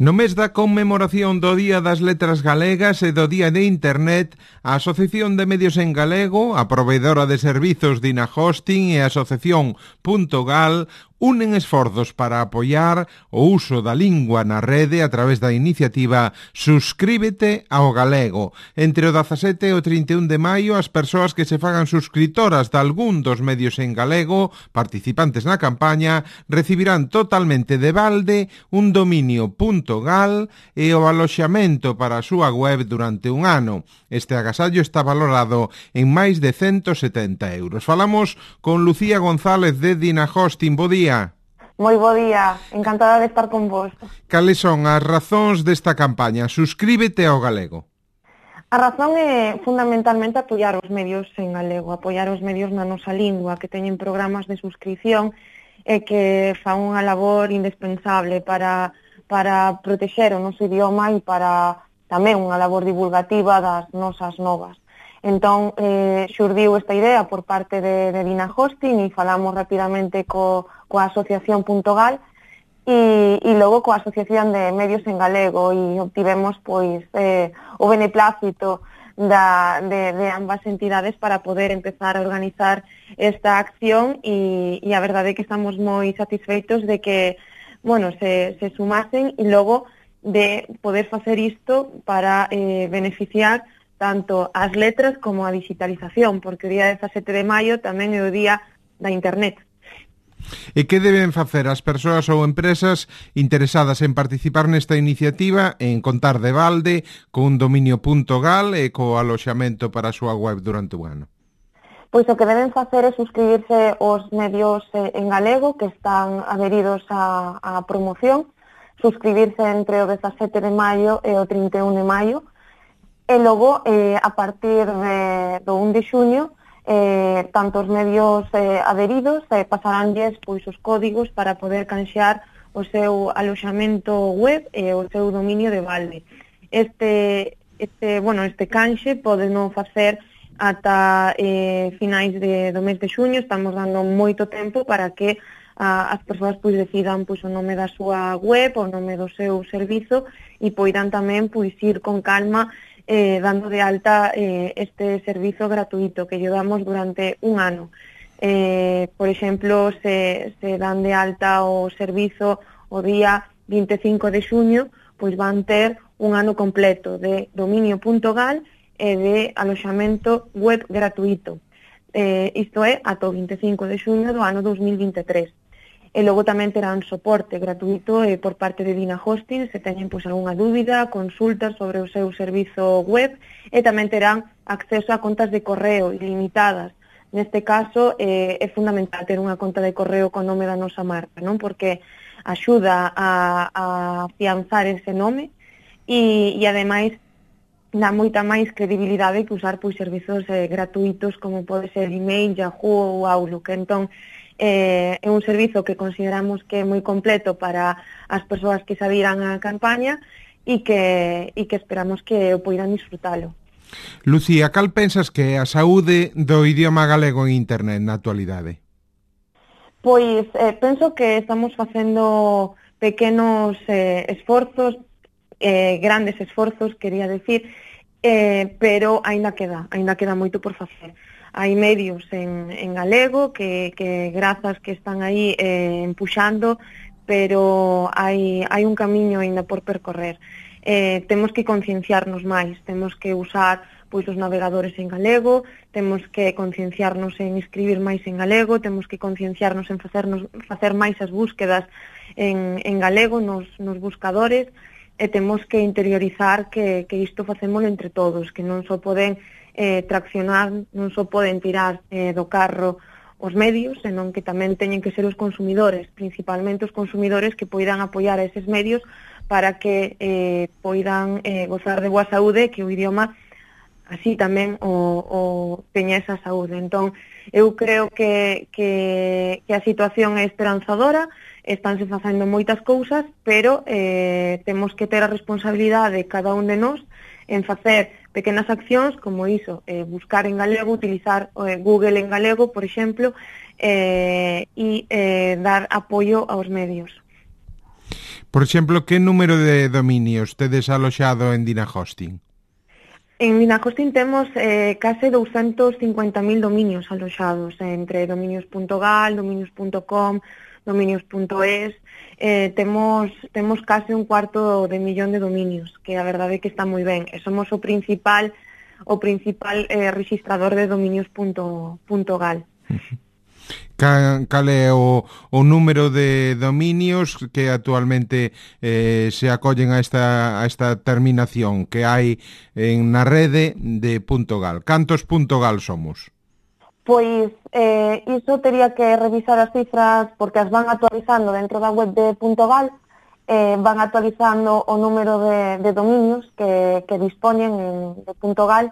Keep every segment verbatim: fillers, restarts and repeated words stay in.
No mes da conmemoración do Día das Letras Galegas e do Día de Internet, a Asociación de Medios en Galego, a proveedora de servizos Dina Hosting e a Asociación Punto Gal unen esforzos para apoiar o uso da lingua na rede a través da iniciativa Suscríbete ao Galego. Entre o dezasete e o trinta e un de maio, as persoas que se fagan suscritoras de algún dos medios en galego participantes na campaña recibirán totalmente de balde un dominio .gal e o aloxamento para a súa web durante un ano. Este agasallo está valorado en máis de ciento setenta euros. Falamos con Lucía González de Dina Hosting. Bo día. Moi bo día, encantada de estar con vos. Cales son as razóns desta campaña? Suscríbete ao galego. A razón é fundamentalmente apoiar os medios en galego, apoiar os medios na nosa lingua, que teñen programas de suscripción e que fan unha labor indispensable para, para protexer o noso idioma e para tamén unha labor divulgativa das nosas novas. Entón, eh, xurdiu esta idea por parte de, de Dina Hosting e falamos rapidamente co, coa Asociación Punto Gal e, e logo coa Asociación de Medios en Galego e obtivemos pois eh, o beneplácito da, de, de ambas entidades para poder empezar a organizar esta acción e, e a verdade é que estamos moi satisfeitos de que, bueno, se, se sumasen e logo de poder facer isto para eh, beneficiar tanto as letras como a digitalización, porque o día dezasete de maio tamén é o día da Internet. E que deben facer as persoas ou empresas interesadas en participar nesta iniciativa en contar de balde con dominio .gal e co aloxamento para a súa web durante un ano? Pois o que deben facer é suscribirse aos medios en galego que están adheridos á, á promoción, suscribirse entre o dezasete de maio e o trinta e un de maio, e logo, eh, a partir de, do un de xuño, eh, tanto os medios eh, adheridos eh, pasaránlles pois, os códigos para poder canxear o seu aloxamento web e o seu dominio de balde. Este, este, bueno, este canxe pode non facer ata eh, finais de, do mes de xuño, estamos dando moito tempo para que a, as persoas pois, decidan pois, o nome da súa web, o nome do seu servizo e poidan tamén pois, ir con calma Eh, dando de alta eh, este servizo gratuito que llevamos durante un ano. Eh, por exemplo, se, se dan de alta o servizo o día vinte e cinco de xuño, pois van ter un ano completo de dominio punto gal e de aloxamento web gratuito. Eh, isto é ata o vinte e cinco de xuño do ano dos mil vinte e tres. E logo tamén terán soporte gratuito eh, por parte de Dina Hosting se teñen pois, algunha dúbida, consultas sobre o seu servizo web e tamén terán acceso a contas de correo ilimitadas. Neste caso eh, é fundamental ter unha conta de correo con nome da nosa marca, non? Porque axuda a, a afianzar ese nome e, e ademais dá moita máis credibilidade que usar pois, servizos eh, gratuitos como pode ser email, Yahoo ou Outlook. Entón, Eh, é un servizo que consideramos que é moi completo para as persoas que se adhiran á campaña e que, e que esperamos que o poidan disfrutalo. Lucía, cal pensas que é a saúde do idioma galego en internet na actualidade? Pois eh, penso que estamos facendo pequenos eh, esforzos, eh, grandes esforzos, quería decir, eh, pero aínda queda, aínda queda moito por facer. Hai medios en, en galego que, que grazas que están aí eh, empuxando, pero hai, hai un camiño ainda por percorrer. Eh, temos que concienciarnos máis, temos que usar pois, os navegadores en galego, temos que concienciarnos en escribir máis en galego, temos que concienciarnos en facernos, facer máis as búsquedas en, en galego nos, nos buscadores, e temos que interiorizar que, que isto facémolo entre todos, que non só poden Eh, traccionar, non só poden tirar eh, do carro os medios, senón que tamén teñen que ser os consumidores, principalmente os consumidores que poidan apoiar a eses medios para que eh, poidan eh, gozar de boa saúde, que o idioma así tamén o, o teña esa saúde. Entón, eu creo que, que, que a situación é esperanzadora, estánse facendo moitas cousas, pero eh, temos que ter a responsabilidade cada un de nós en facer pequenas accións como iso, eh, buscar en galego, utilizar eh, Google en galego, por exemplo, e eh, eh, dar apoio aos medios. Por exemplo, que número de dominios tedes aloxado en Dinahosting? En Dinahosting temos eh, case doscientos cincuenta mil dominios aloxados, eh, entre dominios punto gal, dominios punto com, dominios punto es, eh, temos, temos case un cuarto de millón de dominios, que a verdade é que está moi ben, e somos o principal o principal eh, registrador de dominios punto gal. Cal, cal é o, o número de dominios que actualmente eh, se acollen a esta, a esta terminación que hai en na rede de .gal? Cantos .gal somos? Pois eh, iso tería que revisar as cifras porque as van actualizando dentro da web de .gal, eh, van actualizando o número de, de dominios que, que dispoñen en, de .gal,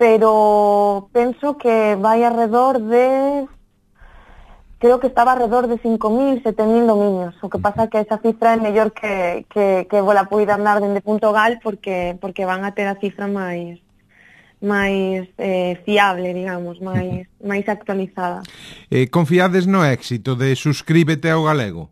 pero penso que vai alrededor de... creo que estaba alrededor de cinco mil, sete mil dominios. O que pasa é que esa cifra é mellor que, que, que vos la poida dar dende .gal porque, porque van a ter a cifra máis máis eh, fiable, digamos, máis, máis actualizada. Eh, confiades no éxito de Suscríbete ao Galego?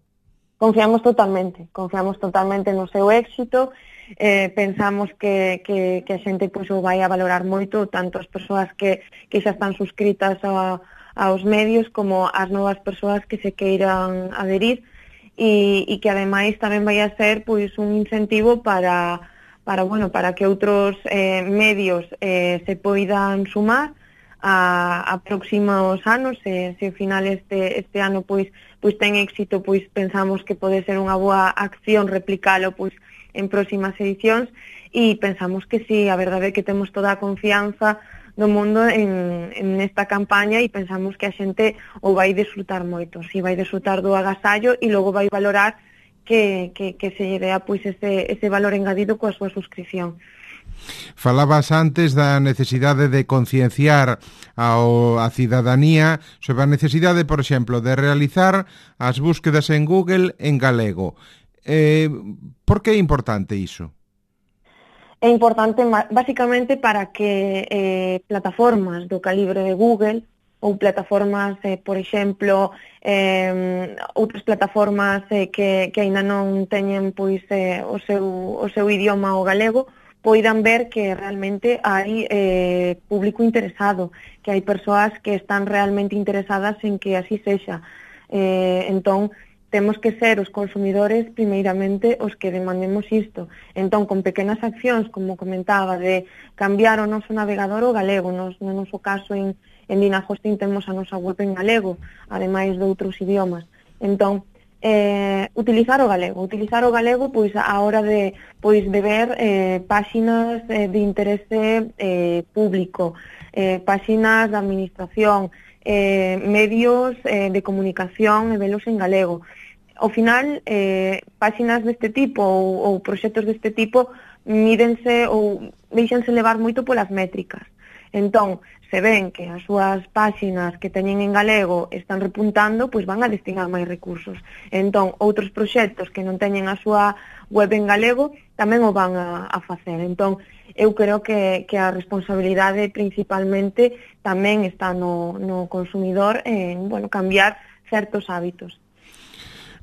Confiamos totalmente, confiamos totalmente no seu éxito, eh, pensamos que, que, que a xente pois, o vai a valorar moito, tanto as persoas que, que xa están suscritas a aos medios como as novas persoas que se queiran adherir e, e que ademais tamén vai a ser pois un incentivo para para bueno, para que outros eh, medios eh, se poidan sumar a, a próximos anos, se, se ao final este, este ano pois pois ten éxito, pois pensamos que pode ser unha boa acción replicalo pois en próximas edicións e pensamos que sí, a verdade é que temos toda a confianza do mundo en, en esta campaña e pensamos que a xente o vai disfrutar moito, si vai disfrutar do agasallo e logo vai valorar que, que, que se lle dea pois ese, ese valor engadido coa súa suscripción. Falabas antes da necesidade de concienciar ao, a cidadanía sobre a necesidade, por exemplo, de realizar as búsquedas en Google en galego. Eh, por que é importante iso? É importante basicamente para que eh, plataformas do calibre de Google ou plataformas, eh, por exemplo, eh, outras plataformas eh, que, que aínda non teñen pois eh, o, seu, o seu idioma o galego, poidan ver que realmente hai eh, público interesado, que hai persoas que están realmente interesadas en que así sexa. Eh, entón, temos que ser os consumidores primeiramente os que demandemos isto. Entón, con pequenas accións, como comentaba, de cambiar o noso navegador ao galego, nos, no noso caso en, en Dinahosting temos a nosa web en galego, ademais de outros idiomas. Entón, eh, utilizar o galego, utilizar o galego pois a hora de pois de ver eh, páxinas eh, de interese eh, público, eh, páxinas da administración, Eh, medios eh, de comunicación e velos en galego. Ao final, eh, páxinas deste tipo ou, ou proxectos deste tipo mídense ou deixanse levar moito polas métricas. Entón, se ven que as súas páxinas que teñen en galego están repuntando, pois van a destinar máis recursos. Entón, outros proxectos que non teñen a súa web en galego tamén o van a, a facer. Entón, eu creo que, que a responsabilidade principalmente tamén está no, no consumidor en, bueno, cambiar certos hábitos.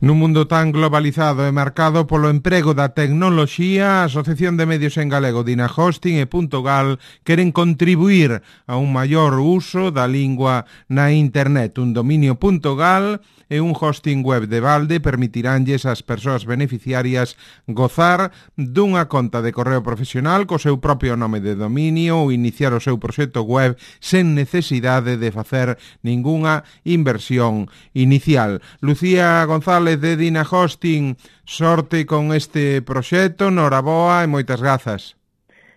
Nun mundo tan globalizado e marcado polo emprego da tecnoloxía, a Asociación de Medios en Galego, Dinahosting e .gal queren contribuir a un maior uso da lingua na internet. Un dominio .gal e un hosting web de balde permitiránlles ás persoas beneficiarias gozar dunha conta de correo profesional co seu propio nome de dominio ou iniciar o seu proxecto web sen necesidade de facer ningunha inversión inicial. Lucía González de Dinahosting, sorte con este proxecto, noraboa e moitas grazas.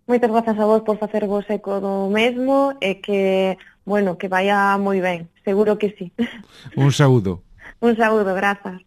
Moitas grazas a vos por facervos eco do mesmo e que, bueno, que vaya moi ben, seguro que sí. Un saúdo. Un saúdo, grazas.